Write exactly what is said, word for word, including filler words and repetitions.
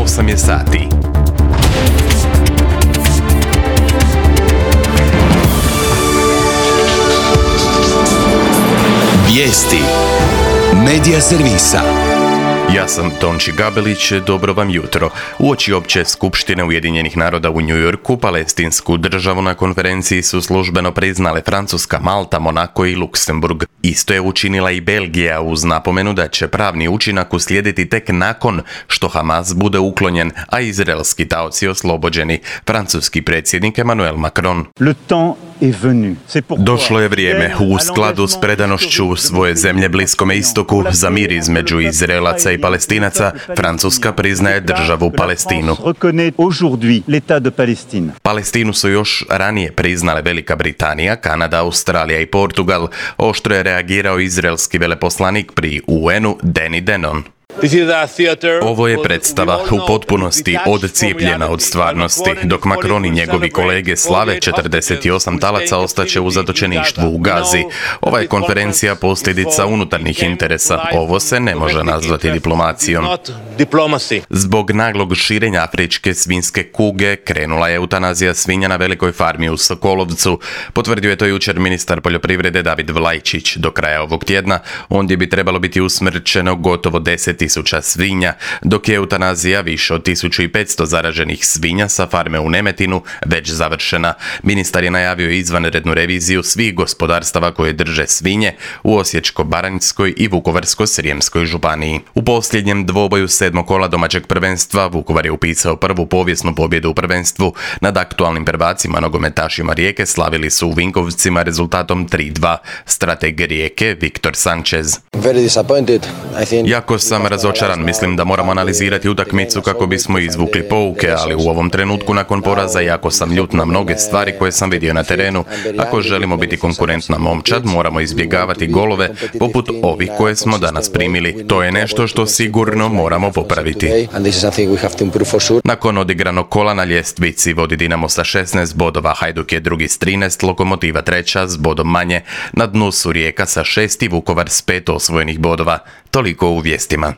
osam je sati. Vijesti Medija servisa. Ja sam Tonči Gabelić, dobro vam jutro. Uoči opće skupštine Ujedinjenih naroda u New Yorku, palestinsku državu na konferenciji su službeno priznale Francuska, Malta, Monako i Luksemburg. Isto je učinila i Belgija uz napomenu da će pravni učinak uslijediti tek nakon što Hamas bude uklonjen, a izraelski taoci oslobođeni. Francuski predsjednik Emmanuel Macron. Došlo je vrijeme, u skladu s predanošću svoje zemlje Bliskome istoku, za mir između Izraelaca i Palestinaca, Francuska priznaje državu Palestinu. Palestinu su još ranije priznale Velika Britanija, Kanada, Australija i Portugal. Oštro je reagirao izraelski veleposlanik pri U N-u Danny Danon. Ovo je predstava u potpunosti odcijepljena od stvarnosti. Dok Macron i njegovi kolege slave četrdeset osam talaca ostaće u zatočeništvu u Gazi. Ova je konferencija posljedica unutarnjih interesa. Ovo se ne može nazvati diplomacijom. Zbog naglog širenja afričke svinjske kuge krenula je eutanazija svinja na velikoj farmi u Sokolovcu. Potvrdio je to jučer ministar poljoprivrede David Vlajčić. Do kraja ovog tjedna ondje bi trebalo biti usmrćeno gotovo deset tisuća svinja, dok je eutanazija više od tisuću petsto zaraženih svinja sa farme u Nemetinu već završena. Ministar je najavio izvanrednu reviziju svih gospodarstava koje drže svinje u Osječko-baranjskoj i Vukovarsko-srijemskoj županiji. U posljednjem dvoboju sedmog kola domaćeg prvenstva Vukovar je upisao prvu povijesnu pobjedu u prvenstvu. Nad aktualnim prvacima nogometašima Rijeke slavili su u Vinkovcima rezultatom tri dva. Strateg Rijeke Viktor Sanchez. Jako sam razočaran, mislim da moramo analizirati utakmicu kako bismo izvukli pouke, ali u ovom trenutku nakon poraza jako sam ljut na mnoge stvari koje sam vidio na terenu. Ako želimo biti konkurentna momčad, moramo izbjegavati golove poput ovih koje smo danas primili. To je nešto što sigurno moramo popraviti. Nakon odigranog kola na ljestvici vodi Dinamo sa šesnaest bodova, Hajduk je drugi s trinaest, Lokomotiva treća s bodom manje, na dnu su Rijeka sa šest i Vukovar s pet osvojenih bodova. Toliko u vijestima.